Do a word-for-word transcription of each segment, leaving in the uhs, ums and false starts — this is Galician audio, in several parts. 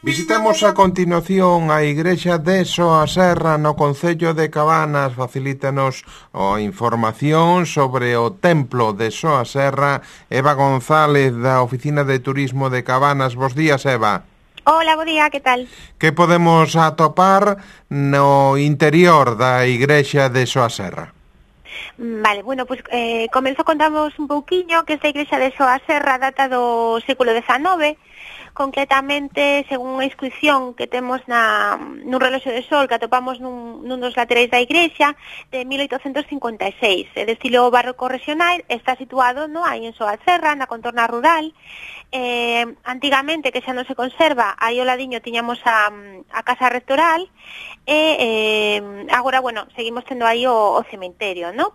Visitamos a continuación a igrexa de Soaserra no concello de Cabanas. Facilítanos a información sobre o templo de Soaserra Eva González da Oficina de Turismo de Cabanas. Bos días, Eva. Hola, bo día, que tal? Que podemos atopar no interior da igrexa de Soaserra? Vale, bueno, pues eh, comenzo a contarnos un pouquiño que esta igrexa de Soaserra data do século dezenove, concretamente, según unha inscripción que temos na, nun reloxo de sol que atopamos nun, nun dos laterais da igrexa de mil oitocentos cincuenta e seis, é de estilo barroco regional, está situado no, aí en Soaserra, na contorna rural. Eh, antigamente, que xa non se conserva, aí ao ladiño tiñamos a, a casa rectoral e eh, agora, bueno, seguimos tendo aí o, o cementerio, non?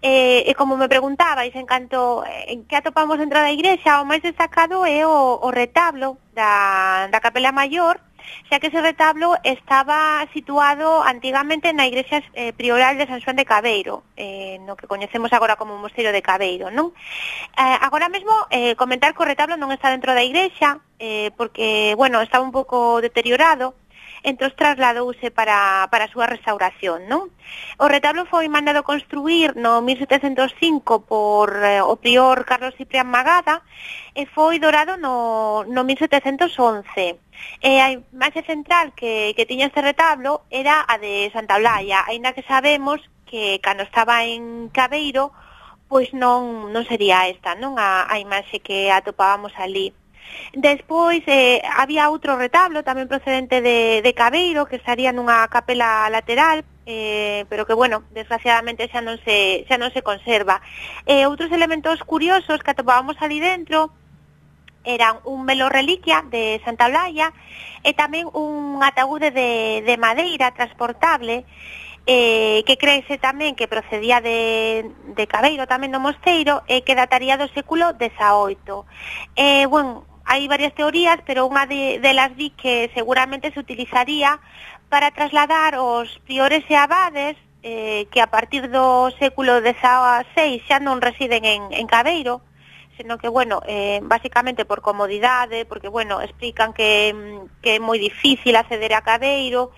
Eh, e como me preguntabais en canto en que atopamos dentro da igrexa, o máis destacado é o, o retablo da, da capela maior, xa que ese retablo estaba situado antigamente na igrexa eh, prioral de San Xoán de Cabeiro, eh, no que coñecemos agora como o Mosteiro de Cabeiro, non? Eh, agora mesmo, eh, comentar que o retablo non está dentro da igrexa, eh, porque, bueno, estaba un pouco deteriorado, entón trasladouse para, para a súa restauración, non? O retablo foi mandado construir no mil setecentos cinco por eh, o prior Carlos Ciprián Magada e foi dorado no, no mil setecentos once. E a imaxe central que, que tiña este retablo era a de Santa Olalla, aínda que sabemos que cando estaba en Cabeiro, pois non, non sería esta, non? A, a imaxe que atopábamos ali. Despois eh, había outro retablo tamén procedente de, de Cabeiro que estaría nunha capela lateral, eh, pero que, bueno, desgraciadamente xa non se, xa non se conserva. Eh, outros elementos curiosos que atopábamos ali dentro eran un velo reliquia de Santa Olalla e tamén un ataúde de, de madeira transportable eh, que creese tamén que procedía de, de Cabeiro, tamén do mosteiro, e que dataría do século dezaoito. Eh, bueno, hai varias teorías, pero unha de, delas di que seguramente se utilizaría para trasladar os priores e abades eh, que a partir do século dezaseis xa non residen en, en Cabeiro, sino que, bueno, eh, basicamente por comodidade, porque, bueno, explican que, que é moi difícil acceder a Cabeiro,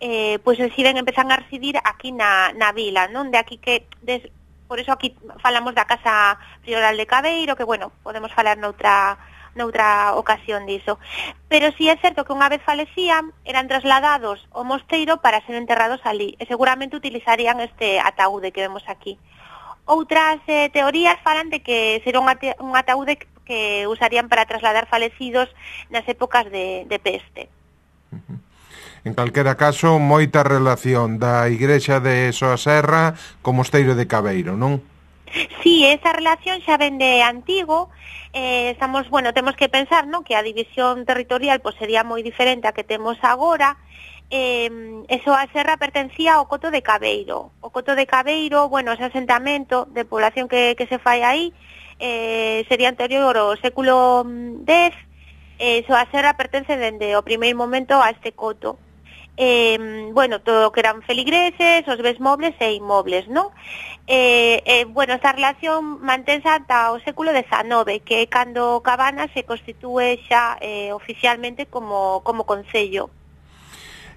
eh, pois deciden, empezan a residir aquí na, na vila, non? De aquí que... Des, por eso aquí falamos da Casa Prioral de Cabeiro, que, bueno, podemos falar noutra... noutra ocasión diso. Pero si é certo que unha vez falecían, eran trasladados ao mosteiro para ser enterrados ali, e seguramente utilizarían este ataúde que vemos aquí. Outras eh, teorías falan de que será un, ate un ataúde que usarían para trasladar falecidos nas épocas de, de peste. En calquera caso, moita relación da igrexa de Soaserra co mosteiro de Cabeiro, non? Sí, esa relación xa ven de antigo. Eh, estamos, bueno, temos que pensar, ¿no?, que a división territorial pues sería moi diferente a que temos agora. Eh, eso a serra pertencía ao Coto de Cabeiro. O Coto de Cabeiro, bueno, ese asentamento de población que, que se fai aí eh, sería anterior ao século dez. Eh, eso a serra pertence dende o primeiro momento a este coto. Eh, bueno, todo o que eran feligreses, os bens mobles e inmobles, non? Eh, eh, bueno, esta relación mantense ata o século dezenove, que é cando Cabanas se constitúe xa eh, oficialmente como, como concello.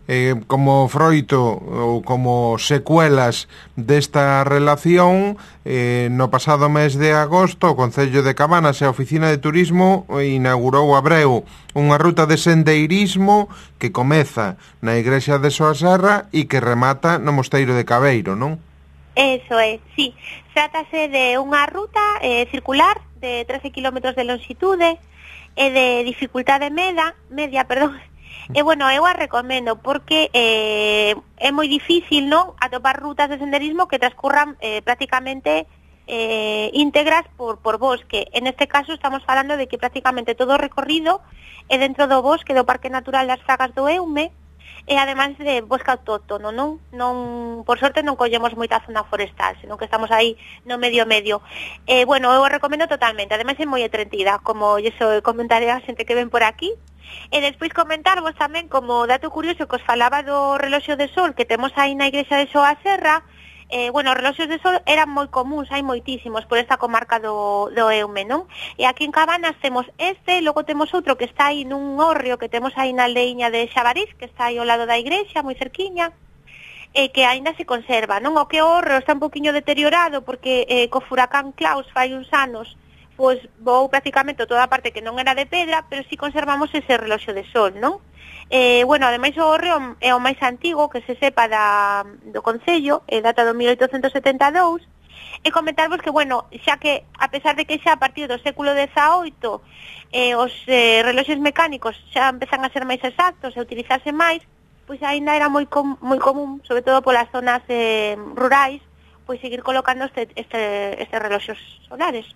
Eh, como froito ou como secuelas desta relación, eh, no pasado mes de agosto o Concello de Cabanas e a Oficina de Turismo inaugurou a Breu unha ruta de sendeirismo que comeza na igrexa de Soaserra e que remata no mosteiro de Cabeiro, non? Eso é, sí. Trátase de unha ruta eh, circular de trece kilómetros de longitude e de dificultade media, media, perdón. E, bueno, eu a recomendo porque eh, é moi difícil, non?, atopar rutas de senderismo que transcurran eh, prácticamente eh, íntegras por, por bosque. En este caso estamos falando de que prácticamente todo o recorrido é dentro do bosque do Parque Natural das Fragas do Eume, e ademais de bosque autóctono, non? Non, por sorte non collemos moita zona forestal, senón que estamos aí no medio medio. Eh, bueno, eu o recomendo totalmente, ademais é moi entretida, como iso comentaré a xente que ven por aquí. E despois comentarvos tamén, como dato curioso que os falaba do reloxo de sol que temos aí na igrexa de Soaserra, Eh, bueno, os reloxos de sol eran moi comuns, hai moitísimos por esta comarca do, do Eume, non? E aquí en Cabanas temos este, logo temos outro que está aí nun hórreo que temos aí na aldeiña de Xabarís, que está aí ao lado da igrexa, moi cerquiña, e que aínda se conserva, non? O que o hórreo está un poquinho deteriorado porque eh, co furacán Klaus fai uns anos pois vou prácticamente toda a parte que non era de pedra, pero si conservamos ese reloxo de sol, non? Eh, bueno, ademais o hórreo é o máis antigo que se sepa da, do Concello, e data do mil oitocentos setenta e dous, e comentarvos que, bueno, xa que, a pesar de que xa a partir do século dezaoito eh, os eh, reloxes mecánicos xa empezan a ser máis exactos e utilizarse máis, pois aínda era moi, com, moi común, sobre todo polas zonas eh, rurais, pois seguir colocando este, este, estes reloxos solares.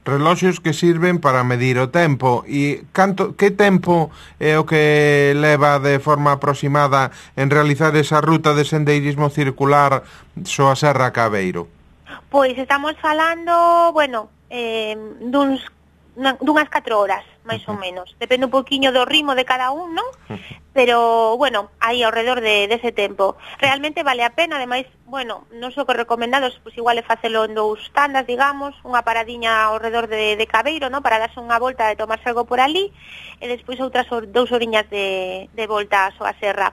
Reloxos que sirven para medir o tempo. E canto, que tempo é o que leva de forma aproximada en realizar esa ruta de sendeirismo circular so a Serra Cabeiro? Pois estamos falando, bueno, eh, duns, dunhas catro horas, máis ou menos. Depende un poquinho do ritmo de cada un, non? Pero, bueno, aí ao redor de, dese tempo. Realmente vale a pena, ademais, bueno, non só que recomendados, pois igual é facelo en dous tandas, digamos, unha paradiña ao redor de, de Cabeiro, non? Para darse unha volta e tomarse algo por ali, e despois outras dous horiñas de, de volta a súa serra.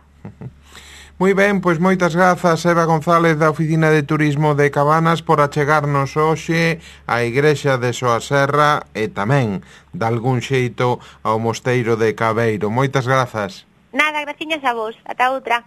Moi ben, pois moitas grazas, Eva González da Oficina de Turismo de Cabanas, por achegarnos hoxe á igrexa de Soaserra e tamén, de algún xeito, ao mosteiro de Cabeiro. Moitas grazas. Nada, graciñas a vos. Ata outra.